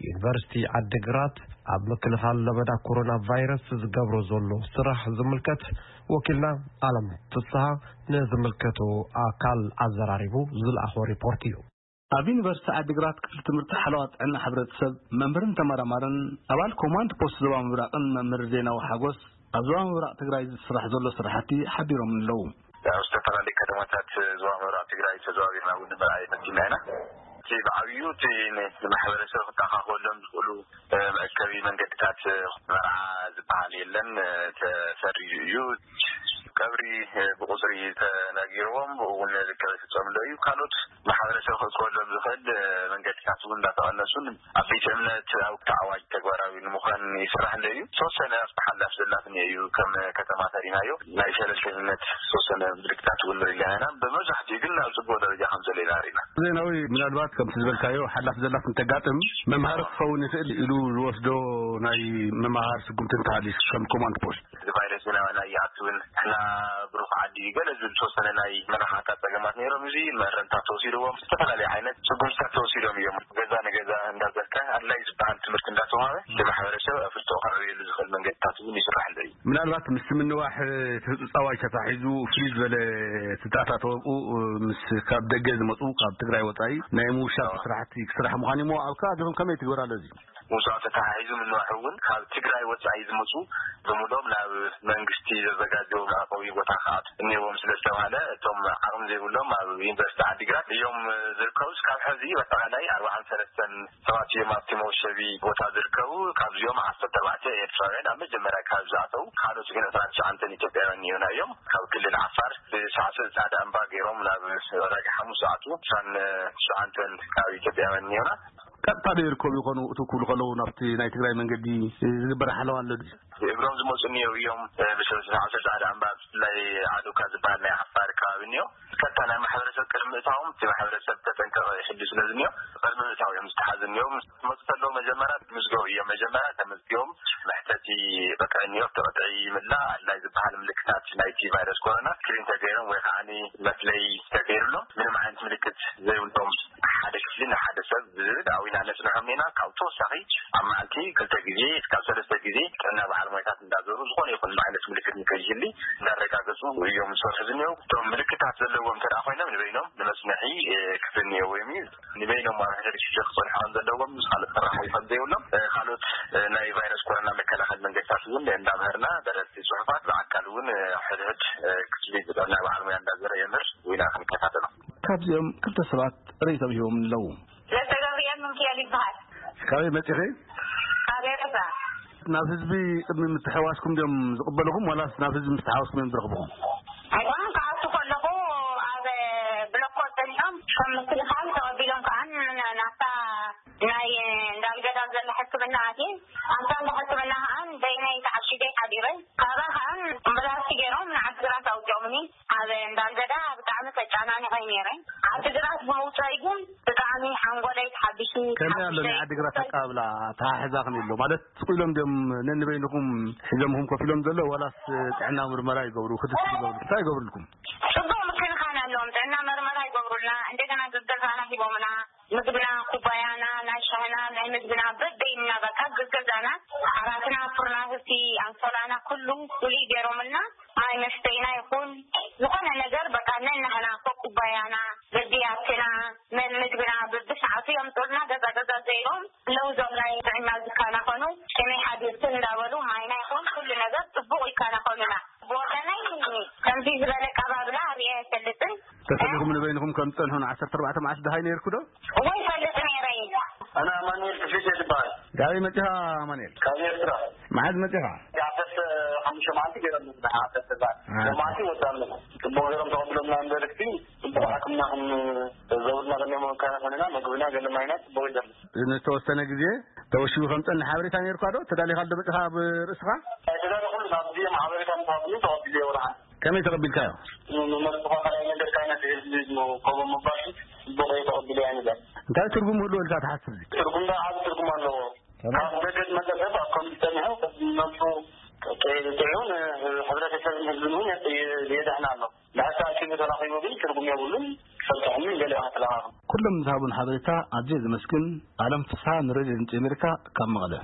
ዩኒቨርሲቲ ዓዲግራት ኣብ ምክልኻል ለበዳ ኮሮና ቫይረስ ዝገብሮ ዘሎ ስራሕ ዝምልከት ወኪልና ኣለም ፍስሃ ንዝምልከቶ ኣካል ኣዘራሪቡ ዝለኣኾ ሪፖርት እዩ። ኣብ ዩኒቨርሲቲ ዓዲግራት ክፍሊ ትምህርቲ ሓለዋ ጥዕና ሕብረተሰብ መምህርን ተመራማርን ኣባል ኮማንድ ፖስት ዞባ ምብራቕን መምህር ዜናዊ ሓጎስ ኣብ ዞባ ምብራቕ ትግራይ ዝስራሕ ዘሎ ስራሕቲ ሓቢሮም ኣለዉ። ኣብ ዝተፈላለዩ ከተማታት ዞባ ምብራቕ ትግራይ ተዘዋዊርና እውን ንምርኣይ ፈቲና ኢና። እቲ ብዓብዩ እቲ ንማሕበረሰብ ክተኻኸሎም ዝኽእሉ መእከቢ መንገድታት መርዓ ዝበሃል የለን፣ ተሰሪዙ እዩ። ቀብሪ ብቁፅሪ ተነጊርዎም ብኡ እውን ርክብ ይፍፀምሎ እዩ። ካልኦት ማሕበረሰብ ክእከበሎም ዝኽእል መንገድታት እውን እንዳተቐነሱን ኣብ ቤተ እምነት ኣብ ተዓዋጅ ተግባራዊ ንምዃን ይስራሕ ኣሎ እዩ። ዝተወሰነ ኣብቲ ሓላፍ ዘላትን እዩ ከም ከተማ ተሪናዮ ናይ ሸለልተኝነት ዝተወሰነ ምልክታት እውን ንርኢ ኣለና ኢና። ብመብዛሕትኡ ግን ኣብ ፅቡቅ ደረጃ ከም ዘሎ ኢና ርኢና። ዜናዊ ምናልባት ከምቲ ዝበልካዮ ሓላፍ ዘላፍ እንተጋጥም መምሃሪ ክኸውን ይኽእል ኢሉ ዝወስዶ ናይ መምሃር ስጉምቲ እንተሃልዩ ከም ኮማንድ ፖስት እዚ ቫይረስ ናባና ይኣትውን ንሕና ብሩኽ ዓዲ ገለ ዝብል ዝተወሰነ ናይ መራኻታት ፀገማት ነይሮም። እዚ መእረምታት ተወሲድዎም ዝተፈላለዩ ዓይነት ስጉምትታት ተወሲዶም እዮም። ገዛ ንገዛ እንዳዘርካ ኣድላይ ዝበሃል ትምህርቲ እንዳተዋሃበ እቲ ማሕበረሰብ ኣፍልጦ ከዕብየሉ ዝኽእል መንገድታት እውን ይስራሕ ኣሎ እዩ። ምናልባት ምስ ምንዋሕ እቲ ህፁፃዋይ ተታሒዙ ፍልይ ዝበለ ስድራታት ወብኡ ምስ ካብ ደገ ዝመፁ ካብ ትግራይ ወፃኢ ናይ ምውሻብ ስራሕቲ ክስራሕ ምዃን እሞ ኣብ ከባቢኹም ከመይ ትግበር ኣሎ እዚ? ምውሳዕ ተተሓሒዙ ምንዋሕ እውን ካብ ትግራይ ወፃኢ ዝመፁ ብምሎም ናብ መንግስቲ ዘዘጋጀዎ መዕቆቢ ቦታ ክኣቱ እኒዎም ስለ ዝተባሃለ እቶም ዓቕሚ ዘይብሎም ኣብ ዩኒቨርሲቲ ዓዲግራት እዮም ዝርከቡ። እስካብ ሕዚ በጠቓላይ ኣርባዓን ሰለስተን ሰባት እዮም ኣብቲ መወሸቢ ቦታ ዝርከቡ። ካብዚኦም ዓሰርተ ኣርባዕተ ኤርትራውያን ኣብ መጀመርያ ካብ ዝኣተው ካልኦት ግን ዕስራን ትሽዓንተን ኢትዮጵያውያን እዮም። ካብ ክልል ዓፋር ብሳዕስዕ ፃዕዳ እምባ ገይሮም ናብ ዕዳጋ ሓሙስ ዝኣትዉ ዕስራን ትሽዓንተን ካብ ኢትዮጵያውያን እዮም። ቀጥታ ዶ ይርከቡ ይኾኑ እቱ ክብሉ ከለዉ ናብቲ ናይ ትግራይ መንገዲ ዝግበር ሓለዋ ኣሎ ድዩ? እግሮም ዝመፁ እኒኦ እዮም። ብሰብስብ ዓሰርተ ሓደ ኣምባ ብፍላይ ዓዱካ ዝበሃል ናይ ዓፋር ከባቢ እኒኦ ቀጥታ ናይ ማሕበረሰብ ቅድሚ እታዎም እቲ ማሕበረሰብ ተጠንቀቐ ይሕሉ ስለ ዝኒኦ ቅድሚ እታው እዮም ዝተሓዙ እኒኦ። መፅእ ከለዉ መጀመርያ ምዝገቡ እዮም። መጀመርያ ተመዝጊቦም መሕተቲ ቅጥዒ እኒኦ። እቲ ቅጥዒ ይምላእ ኣድላይ ዝበሃል ምልክታት ናይቲ ቫይረስ ኮሮና ስክሪን ተገይሮም ወይ ከዓ መፍለይ ተገይሩሎም ምንም ዓይነት ምልክት ዘይብሎም ሓደ ክፍሊ ንሓደ ሰብ ዝብል ኣዊና ነፅንሖም ኢና። ካብ ተወሳኺ ኣብ መዓልቲ ክልተ ግዜ እስካብ ሰለስተ ግዜ ጥዕና በዓል ሞያታት እንዳዞሩ ዝኾነ ይኹን ዓይነት ምልክት ንከይህሊ እንዳረጋገፁ እዮም ዝሰርሑ ዝኒው። እቶም ምልክታት ዘለዎም እንተ ኮይኖም ንበይኖም ንመፅንሒ ክፍሊ እኒኦ ወይም እዩ ንበይኖም ኣብ ሕድሪ ክፍሊ ክፀንሑ ከም ዘለዎም ምስ ካልኦት ተራሓቢ ከም ዘይብሎም ካልኦት ናይ ቫይረስ ኮሮና መከላኸል መንገድታት እውን እንዳምሃርና ደረስቲ ፅሑፋት ብኣካል እውን ሕድሕድ ክፍሊ ብጥዕና በዓል ሞያ እንዳዘረ የምህር። ወይና ክንከታተሎ። ካብዚኦም ክልተ ሰባት ርእይቶም ሂቦም ኣለዉ። ለተገብርኤል ምንክኤል ይበሃል። ካበይ መጺኺ? ካብ ኤረትራ። ናብ ህዝቢ ቅድሚ ምትሕዋስኩም ድዮም ዝቕበልኹም ዋላስ ናብ ህዝቢ ምስ ተሓወስኩም እዮም ዝረኽብኹም? ኣይኮነን፣ ክኣቱ ከለኹ ኣብ ብሎኮ ጸኒሖም ከም ምክልኻል ተቐቢሎም ከኣ ናብታ ናይ እንዳልገዳ ዘላ ሕክምና ኣትየ ኣብታ እንዳ ሕክምና ከኣ በይነይ ተዓሺገ ሓዲረ። ካባኻ ኣምቡላንስ ገይሮም ንዓዲ ግራት ኣውፅኦምኒ። ኣብ እንዳልገዳ ብጣዕሚ ተጨናኒቐ ነይረ። ዓዲ ግራት ብምውፀይ ግን ብጣዕሚ ሓንጎለይ ተሓቢሱ። ከመይ ኣሎ ናይ ዓዲ ግራት ኣቀባብላ? ተሓሕዛ ከመይ ኣሎ ማለት ስቕ ኢሎም ድዮም ነንበይንኹም ሒዞምኹም ኮፍ ኢሎም ዘሎ ዋላስ ጥዕና ምርመራ ይገብሩ ክትትል ይገብሩ እንታይ ይገብርልኩም? ፅቡቅ ምክንኻን ኣለዎም። ጥዕና መርመራ ይገብሩልና፣ እንደገና ገዛና ሂቦምና። ምግብና ኩባያና ናይ ሻህና ናይ ምግብና በበይንና በቃ ገዛና ዓራትና ፍርናህቲ ኣንሶላና ኩሉ ፍሉይ ገይሮምልና። ማይ መስተይና ይኹን ዝኾነ ነገር በቃ ነናህና ኮኩባያና በቢያትና መን ምግብና በብሰዓቱ የምፅኡልና። ገዛ ገዛ ዘይሮም ኣለዉ ዞም ናይ ጥዕና ዝከናኸኑ ከመይ ሓዲርክን እንዳበሉ ማይና ይኹን ኩሉ ነገር ፅቡቕ ይከናኸኑና። ብወገነይ ከምዚ ዝበለ ኣቀባብላ ርእየ ኣይፈልጥን። ተሰሊኹም ንበይንኹም ከም ትጸንሑ ን ዓሰርተ ኣርባዕተ መዓልቲ ደሃይ ነይርኩ ዶ? እወ ይፈልጥ ነይረ። ኣነ ኣማኑኤል ክፍሊት እየ ዝበሃል። ካበይ መጺኻ ኣማኑኤል? ካብ ኤርትራ። መዓዝ መጺኻ? ዓሰርተ ሓሙሽተ መዓልቲ ገይሮም ዓሰርተ ኣርባዕተ መዓልቲ ወዳም ጽቡቕ ገይሮም ተቐብሎምና እምበር እቲ ጽቡቕ ሕክምና ክንዘውርና ከለና መወካና ኮይንና መግብና ገለ ማይና ጽቡቕ ይደም። ንዝተወሰነ ግዜ ተወሺቡ ከም ጸንሕ ሓበሬታ ነይርካ ዶ? ተዳሊኻ ዶ መጺኻ ኣብ ርእስኻ? ኣይተዳለኹሉን። ኣብዚ እዮም ሓበሬታ ምሃብኒ ተቐቢለዮ ወላ ሓንቲ። ከመይ ተቐቢልካዮ? ንመርጽኻ ካልኣይ ነገር ካይነት ህዝቢ ከምኡ ምባል ጽቡቕ እዩ ተቐቢለያ ንብል። እንታይ ትርጉም ህልዎ ኢልካ ትሓስብ እዚ? ትርጉም ዶ ዓቢ ትርጉም ኣለዎ። ከመይ? ካብ ደገ ዝመጸ ሰብ ኣብ ከምዚ ጸኒሑ ነብሱ ጥዑ ንሕብረተሰብን ህዝብን እውን የድሕን ኣሎ። ንሕሳ ኣኪቡ ተራኺቡ ግን ትርጉም የብሉን። ሰብተኹም ገለ ተለኻኹም። ኩሎም ዝሃቡን ሓበሬታ ኣዝየ ዘመስግን። ኣለም ፍስሓ፣ ንሬድዮ ድምፂ ኣሜሪካ፣ ካብ መቐለ።